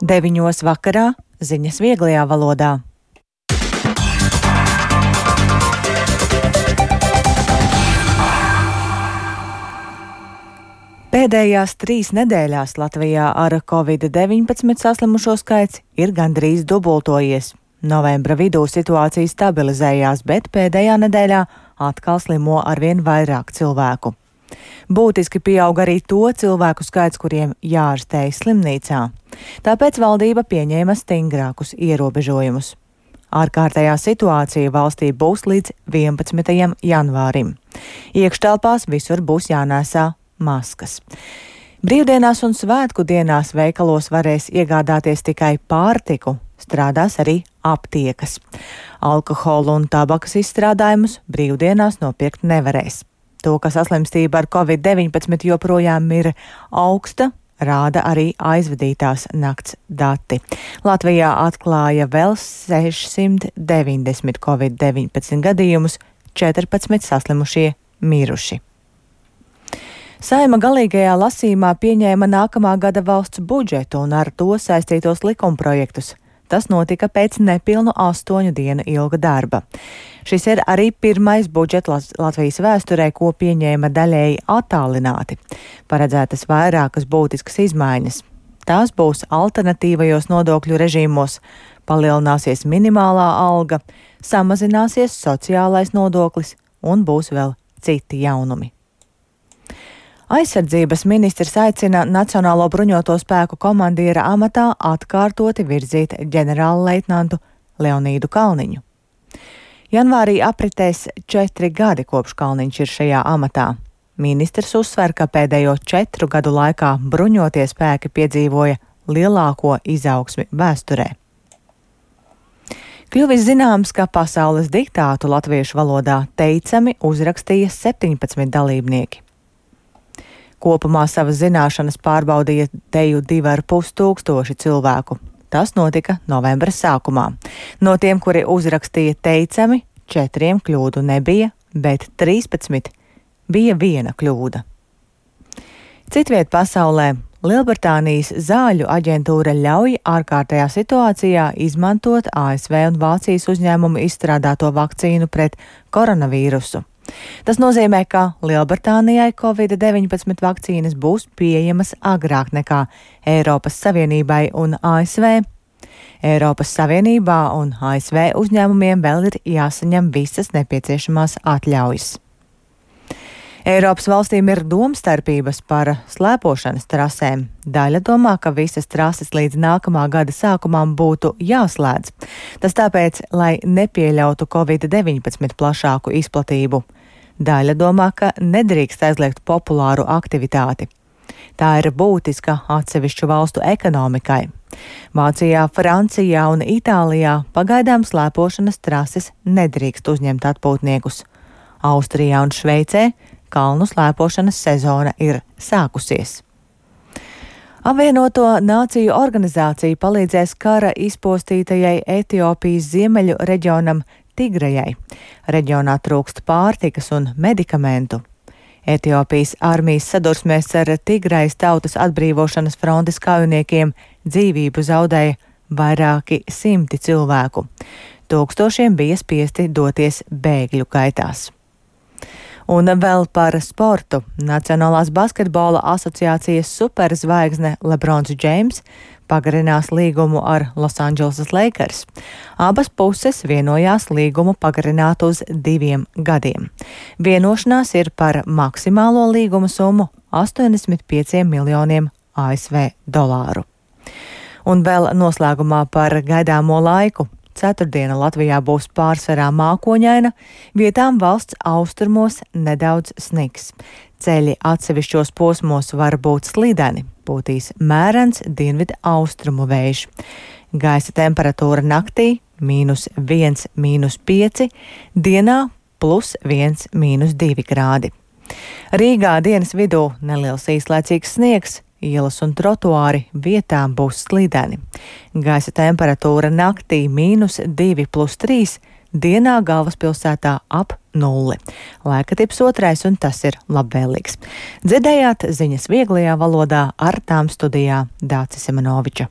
9 vakarā ziņas vieglajā valodā. Pēdējās 3 nedēļās Latvijā ar Covid-19 saslimušo skaits ir gandrīz dubultojies. Novembra vidū situācija stabilizējās, bet pēdējā nedēļā atkal slimo arvien vairāk cilvēku. Būtiski pieaug arī to cilvēku skaits, kuriem jāārstējas slimnīcā. Tāpēc valdība pieņēma stingrākus ierobežojumus. Ārkārtējā situācija valstī būs līdz 11. janvārim. Iekštelpās visur būs jānēsā maskas. Brīvdienās un svētku dienās veikalos varēs iegādāties tikai pārtiku, strādās arī aptiekas. Alkoholu un tabakas izstrādājumus brīvdienās nopirkt nevarēs. To, ka saslimstība ar Covid-19 joprojām ir augsta, rāda arī aizvadītās nakts dati. Latvijā atklāja vēl 690 Covid-19 gadījumus, 14 saslimušie miruši. Saeima galīgajā lasījumā pieņēma nākamā gada valsts budžetu un ar to saistītos likumprojektus. Tas notika pēc nepilnu 8 dienu ilga darba. Šis ir arī pirmais budžets Latvijas vēsturē, ko pieņēma daļēji attālināti. Paredzētas vairākas būtiskas izmaiņas. Tās būs alternatīvajos nodokļu režīmos, palielināsies minimālā alga, samazināsies sociālais nodoklis un būs vēl citi jaunumi. Aizsardzības ministrs aicina Nacionālo bruņoto spēku komandiera amatā atkārtoti virzīt ģenerālleitnantu Leonīdu Kalniņu. Janvārī apritēs 4 gadi, kopš Kalniņš ir šajā amatā. Ministrs uzsver, ka pēdējo 4 gadu laikā bruņotie spēki piedzīvoja lielāko izaugsmi vēsturē. Kļuvis zināms, ka pasaules diktātu latviešu valodā teicami uzrakstīja 17 dalībnieki. Kopumā savas zināšanas pārbaudīja teju 2,5 tūkstoši cilvēku. Tas notika novembra sākumā. No tiem, kuri uzrakstīja teicami, 4 kļūdu nebija, bet 13 bija 1 kļūda. Citviet pasaulē Lielbritānijas zāļu aģentūra ļauj ārkārtējā situācijā izmantot ASV un Vācijas uzņēmumu izstrādāto vakcīnu pret koronavīrusu. Tas nozīmē, ka Lielbritānijai Covid-19 vakcīnas būs pieejamas agrāk nekā Eiropas Savienībai un ASV. Eiropas Savienībā un ASV uzņēmumiem vēl ir jāsaņem visas nepieciešamās atļaujas. Eiropas valstīm ir domstarpības par slēpošanas trasēm. Daļa domā, ka visas trases līdz nākamā gada sākumam būtu jāslēdz. Tas tāpēc, lai nepieļautu Covid-19 plašāku izplatību. Daļa domā, ka nedrīkst aizliegt populāru aktivitāti. Tā ir būtiska atsevišķu valstu ekonomikai. Vācijā, Francijā un Itālijā pagaidām slēpošanas trases nedrīkst uzņemt atpūtniekus. Austrijā un Šveicē kalnu slēpošanas sezona ir sākusies. Apvienoto Nāciju organizācija palīdzēs kara izpostītajai Etiopijas ziemeļu reģionam Tigrejai. Reģionā trūkst pārtikas un medikamentu. Etiopijas armijas sadursmēs ar Tigrejas tautas atbrīvošanas frontes kaujiniekiem dzīvību zaudēja vairāki 100 cilvēku. Tūkstošiem bija spiesti doties bēgļu gaitās. Un vēl par sportu. Nacionālās basketbola asociācijas superzvaigzne LeBrons James pagarinās līgumu ar Los Angeles Lakers. Abas puses vienojās līgumu pagarināt uz 2 gadiem. Vienošanās ir par maksimālo līguma summu 85 miljoniem ASV dolāru. Un vēl noslēgumā par gaidāmo laiku. Ceturtdiena Latvijā būs pārsvarā mākoņaina, vietām valsts austrumos nedaudz sniks. Ceļi atsevišķos posmos var būt slideni, būtīs mērens dienvidu austrumu vējš. Gaisa temperatūra naktī -1, -5, dienā +1, -2 grādi. Rīgā dienas vidū neliels īslaicīgs sniegs. Ielas un trotuāri vietām būs slideni. Gaisa temperatūra naktī -2 + 3, dienā galvaspilsētā ap 0. Laika tips 2 un tas ir labvēlīgs. Dzirdējāt ziņas vieglajā valodā, ar tām studijā Dācis Simenoviča.